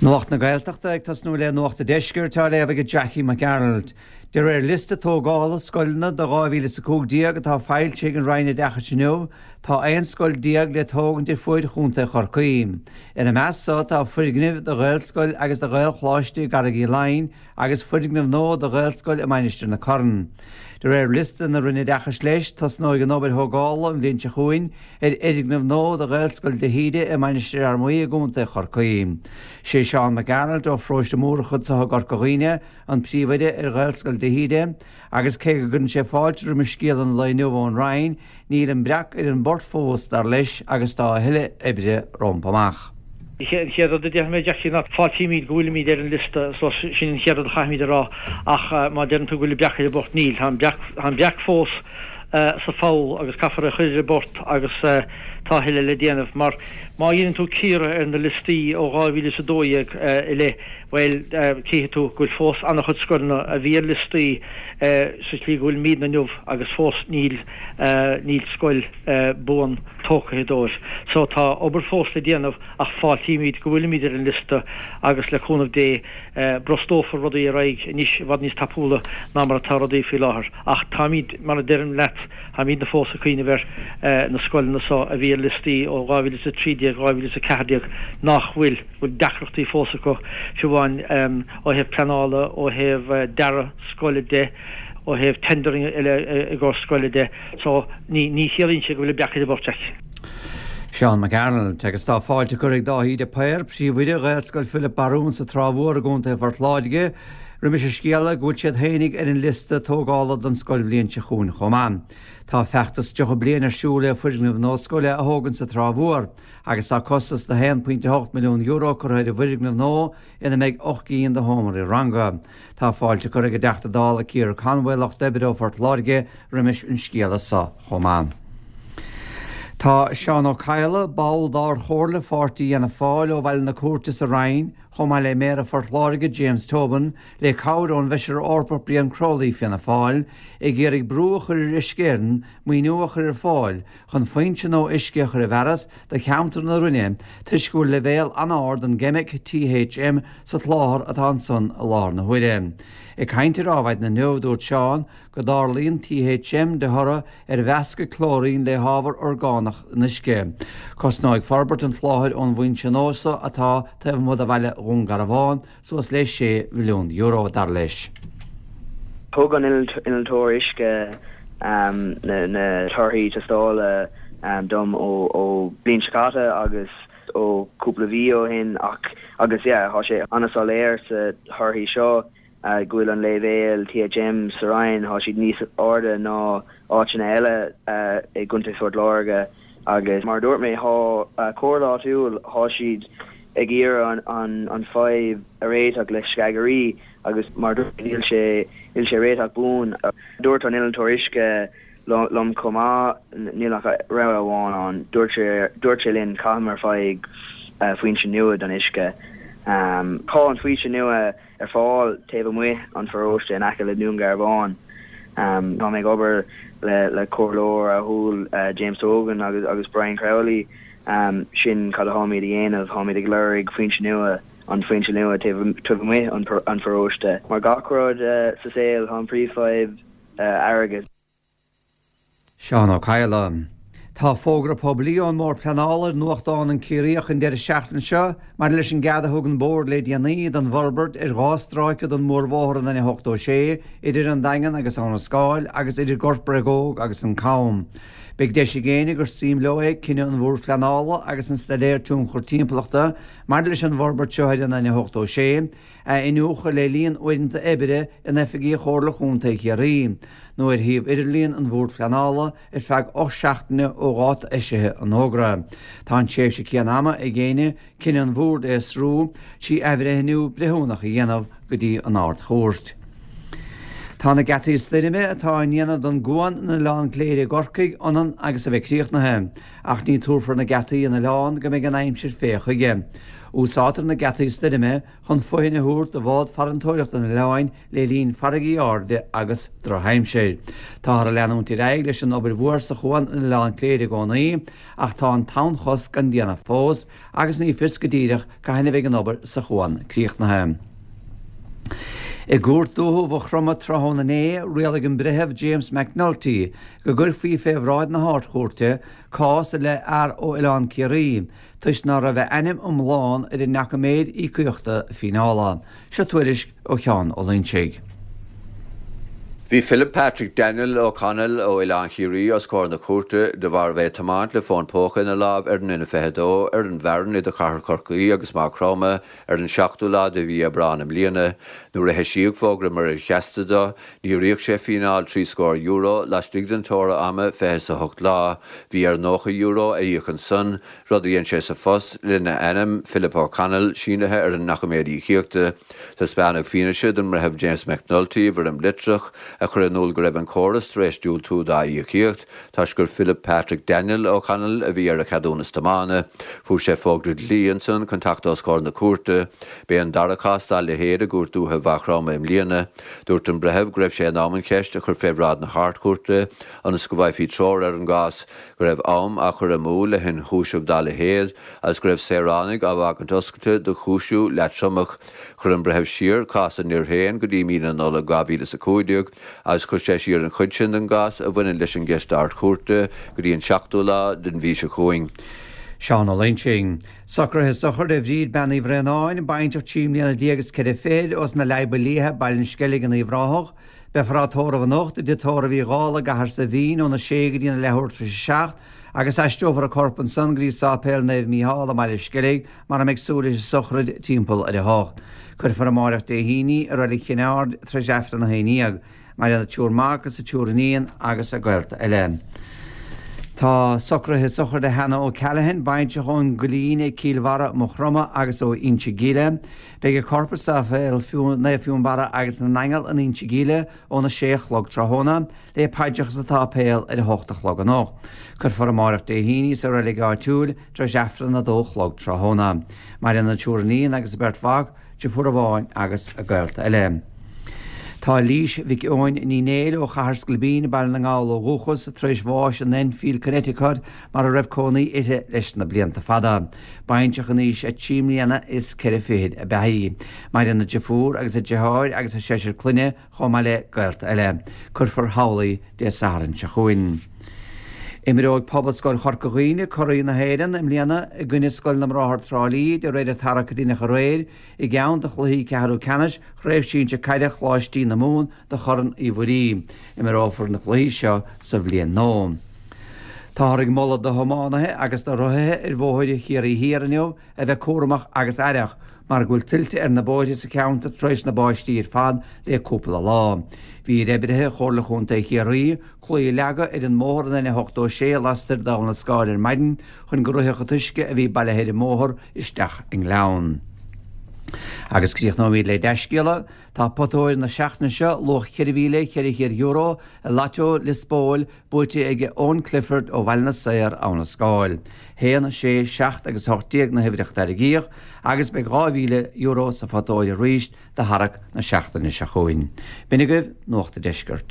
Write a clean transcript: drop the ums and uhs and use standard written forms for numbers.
Nuacht na Gaeltachta ag tosnú le Nuacht an Deiscirt á léamh ag Jackie Mac Gearailt. De réir liosta tógála scoileanna do 2015 atá foilsithe ag an Roinn Oideachais inniu, tá 11 scoil le tógaint ar fuaid Chontae Chorcaí. Ina measc so tá foirgnimh do Ghaelscoil agus do Ghaelcholáiste i gCarraig Uí Leighin agus foirgneamh nua do Ghaelscoil i Mainistir na Corann. De réir liosta na Roinne Oideachais leis, tosnóidh an obair thógála an bhliain seo chugainn ar fhoirgneamh nua do Ghaelscoil de hÍde i Mainistir Fhear Maí i gContae Chorcaí. Sé Seán Mac Gearailt ó Pharóiste Múrach anseo i gCorca Dhuibhne an príomhoide ar Ghaelscoil de hÍde agus cé go gcuireann sé fáilte roimis scéala an lae inniu ón Roinn, níl an breac ar an bport fós, dar leis, agus tá a thuilleadh oibre rompu amach. An chéad rud a déarfaidh mé, Jackie, ná fáiltímid go bhfuilimid ar an liosta so sin an chéad rud a chaithfimid a rá ach má deireann tú go bhfuil an breac ar an bport, níl. Tá an breac, tá an breac fós sa pholl agus caithfear é a chur ar an bport agus tá a thuilleadh le déanamh mar má dhéanann tú cíoradh ar na liostaí ó 2012 i leith, bhuel, cífidh tú go bhfuil fós an-chuid scoileanna a bhí ar liostaí sa tslí go bhfuilimidne inniu agus fós níl, níl scoil buan tógtha dóibh. So tá obair fós le déanamh ach fáiltímid go bhfuilimid ar an liosta agus le cúnamh Dé brostófar rudaí ar aghaidh anois i bhfad níos tapúla ná mar atá rudaí faoi láthair. Ach táimid, mar a deirim leat, táimidne fós ag cuimhneamh ar na scoileanna so a bhí ar liostaí ó 2013, 2014 nach bhfuil, bhfuil deacrachtaí fós acu, fiú amháin ó thaobh pleanála, ó thaobh dearadh scoile de, ó thaobh tendering eile i gcomhair scoile de. So ní, ní chiallaíonn sé go bhfuil an breac ar an bport, Jack. Seán Mac Gearailt, Agus tá fáilte curtha ag Dáithí de Paor, Príomhoide Ghaelscoil Philip Barún sa Trá Mhór i gContae Phort Láirge, roimis an scéala go bhfuil siad fhéinig ar an liosta tógála don scoilbhliain seo chugainn chomh maith. Tá feachtas 30 bliain ar siúl le foirgneamh nua scoile a thógaint sa Trá Mhór agus tá costas de €1.8 milliún curtha ar an bhfoirgneamh nua ina mbeidh 8 gcinn de sheomraí ranga. Tá fáilte curtha ag an dTeachta Dála Ciara Conway, Lucht Oibre ó Phort Láirge, roimis an scéala so chomh maith. Tá Seán Ó Cadhla, ball d'Ard-Chomhairle Pháirtí Fhianna Fáil ó Bhaile na Cúirte sa Rinn, chomh maith le Méara Phort Láirge James Tobin, le cabhair ón bhFeisire Eorpach Brian Crowley, Fianna Fáil, ag iarraidh brú a chur ar Uisce Éireann maoiniú a chur ar fáil chun foinse nua uisce a chur i bhfearas do cheantar na Rinne toisc go bhfuil leibhéal an-ard den gceimic THM sa tsláthar atá ansan i láthair na huaire. Ag caint ar Adhmhaidin inniu, dúirt Seán go dtarlaíonn THM de thoradh ar mheascadh clóirín le hábhar orgánach in uisce. Cosnóidh forbairt an tsláthair ón bhfoinse nua so atá taobh amuigh de bhaile Dhún Garbhán suas le €6 mhilliún, dar leis. Thug an innealtóir uisce na torthaí tástála dom ó bliain seo caite agus ó cúpla mhí ó shin ach agus yeah tá sé an-soiléir sa thorthaí seo go bhfuil an léibhéal THM sa Rinn tá siad níos airde ná áiteanna eile i gContae Phort Láirge. Agus mar a dúirt mé, tá comhairle áitiúil, tá siad ag iarraidh an fadhb a réiteach le sceagairí agus mar a dúirt mé, níl sé, níl sé réiteach buan. Dúirt an innealtóir uisce liom chomh maith, níl ach rogha amháin ann, dúirt sé, dúirt sé linn caithfear faigh foinse nua don uisce. Tá an foinse nua. ar fáil taobh amuigh an pharóiste in aice le Dún Garbhán. Tá mé ag obair le comhairleoir áitiúil James Tobin agus agus Brian Crowley. Sin cad atáimid a dhéanamh, táimid ag lorg foinse nua, an foinse nua taobh taobh amuigh an pharóiste. Mar gach rud sa saol, tá an príomhfhadhb airgead. Seán Ó Cadhla. Tá fógra poiblí ón mBord Pleanála ar nuachtán An Ciarraíoch an deireadh seachtaine seo maidir leis an gcead a thug an Bord le déanaí don bhforbairt ar 2 stráice den mhórbhóthar an N86 idir an Daingean agus Abhainn an Scáil agus idir Gort Bréagóg agus an Cam. Beidh deis ag éinne gur suim leo é cinneadh an Bhoird Phleanála agus an Staidéar Tionchar Timpeallachta maidir leis an bhforbairt seo ar an N86 a iniúchadh le linn uaireanta oibre in oifigí Chomhairle Chontae Chiarraí nó ar shuíomh idirlíon an Bhoird Phleanála ar feadh 8 seachtaine ó dháta eisithe an fhógra. Tá an tréimhse céanna ama ag éinne cinneadh an Bhoird a fhiosrú trí athbhreithniú breithiúnach a dhéanamh go dtí an Ard-Chúirt. Tá na geataí stoirme atá á ndéanamh don gcuan in Oileán Cléire i gCorcaigh ionann agus a bheith críochnaithe. Ach ní tabharfar na geataí in oileán go mbeidh an aimsir fé chuige. Úsáidtear na geataí stoirme chun fothain a thabhairt do bhád farantóireachta an oileáin le linn farraigí airde agus drochaimsir. Táthar ag leanúint ar aghaidh leis an obair mhór sa chuan in Oileán Cléire i gcónaí ach tá an tonnchosc gan déanamh fós agus ní fios go díreach cathain a bheidh an obair sa chuan críochnaithe. I gCúirt Dúiche Mhaigh Chromtha tráthnóna inné, rialaigh an Breitheamh James McNulty go gcuirfí fé bhráid na hArd-Chúirte cás i leith fhear ó Oileán Ciarraí toisc ná raibh a ainm iomlán ar an ndoiciméad íocaíochta fíneála. Seo tuairisc ó Sheán Ó Loingsigh. Bhí Philip Patrick Daniel O'Connell ó Oileán Chiarraí os comhair na cúirte de bharr a bheith ag tiomáint le fón póca ina lámh ar an N22 ar an bhfearann idir Chathair Chorcaí agus Maigh Chromtha ar an seachtú lá de mhí Aibreán i mbliana. Nuair a heisíodh fógra muirir sheasta dó, níor íoc sé fíneáil €60 laistigh den teora ama 28 lá. Bhí air €90 a íoc ansan, rud a dhein sé sa phost, lena ainm, Philip O'Connell, sínithe ar an ndoiciméad íocaíochta. Taispeánadh fianaise don mBreitheamh James McNulty i bhfoirm litreach, a chuir in iúl go raibh an córas tar éis diúltú dá íocaíocht, toisc gur Philip Patrick Daniel O'Connell a bhí ar a cheadúnas tiomána. Fuair sé fógra dlí ansan chun teacht os comhair na cúirte. B'é an dara cás dá leithéid i gCúirt Dúiche Mhaigh Chromtha i mbliana. Dúirt an Breitheamh go raibh sé in am an cheist a chur fé bhráid na hArd-Chúirte ionas go bhfaighfí treoir ar an gcás, go raibh am á chur amú le hionchúiseamh dá leithéid agus go raibh saoránaigh á bhfágaint oscailte do chúisiú leatromach. Chuir an Breitheamh siar cás an fhir féin go dtí mí na Nollag 2015 agus chuir sé siar an chuid sin den gcás a bhaineann leis an gceist Ard-Chúirte go dtí an seachtú lá den mhí seo chugainn. Seán Ó Loingsigh. Socruithe sochraide Bhríd Bean Uí Bhraonáin, baintreach 13 mbliana is 4 fichid, ós na Leadhba Liatha, Baile an Sceilg in Uíbh Ráthach. Beifear á tórramh anocht i dTigh Tórraimh Uí Dhálaigh i gCathair Saidhbhín óna sé go dtí na leathuair tar éis a 7 agus aistreofar a corp ansan go dtí Sáipéal Naomh Mícheál i mBaile Sceilg mar a mbeidh súil leis an sochraid timpeall ar a hocht. Cuirfear amáireach Dé hAoine í i Reilig Chinn Aird tar éis Aifreann a haon dhéag. Maireann a triúr mac agus a triúr iníon agus a gaolta eile. Tá socruithe sochraide Hannah O'Callaghan, baintreach ón gCoillín ag Cill Bharra, Maigh Chromtha agus ó Inse Gile. Beidh a corp i Sáipéal Naomh Fionnbarra agus na nAingeal in Inse Gile óna sé a chlog tráthnóna, le paidreacha sa tsáipéal ar a hocht a chlog anocht. Cuirfear amáireach Dé hAoine í sa reilig áitiúil tar éis Aifreann a dó a chlog tráthnóna. Maireann a triúr iníon agus a beirt mhac, deirfiúr amháin agus a gaolta eile. Tá Lís Mhic Eoin Ní Néill ó Chathair Scailpín, Baile na nGall ó dhúchas, tar éis bháis in Enfield, Connecticut, mar a raibh cónaí uirthi leis na blianta fada. Baintreach in aois a trí mbliana is ceithre fichid ab ea í. Maireann a deirfiúr agus a deartháir agus a seisear clainne chomh maith le gaolta eile. Cuirfear thall í Dé Sathairn seo chugainn. Imreoidh Pobalscoil Chorca Dhuibhne curaidh na hÉireann i mbliana i gcoinne Scoil na mBráthar Trá Lí de réir an tarrac a deineadh aréir i gceann de chluichí ceathrú ceannais Chraobh Sinsir Caide Choláistí na Mumhan do Chorn Uí Mhuirí. Imreofar na cluichí seo sa bhliain nua. Táthar ag moladh do thiománaithe agus do rothaithe ar bhóithre Chiarraí Thiar inniu a bheith cúramach agus aireach mar go bhfuil tuilte ar na bóithre sa cheantar tar éis na báistí ar fad le cúpla lá. Bhí ar oibrithe Chomhairle Chontae Chiarraí claí a leagadh ar an mbóthar an N86 lastoir d'Abha na Scáil ar maidin chun go rithfeadh an t-uisce a bhí bailithe ar an mbóthar isteach i ngleann. Agus críochnóimid le dea-scéala. Tá pota óir na seachtaine seo, luach €4,400, i Lotto Liospóil, buaite ag Eoin Clifford ó Bhaile na Saor, Abha na Scáil. 1, 6, 7 agus 18 na huimhreacha a tarraingíodh agus beidh €2,000 sa phota óir arís do tharrac na seachtaine seo chugainn. B'in agaibh Nuacht an Deiscirt.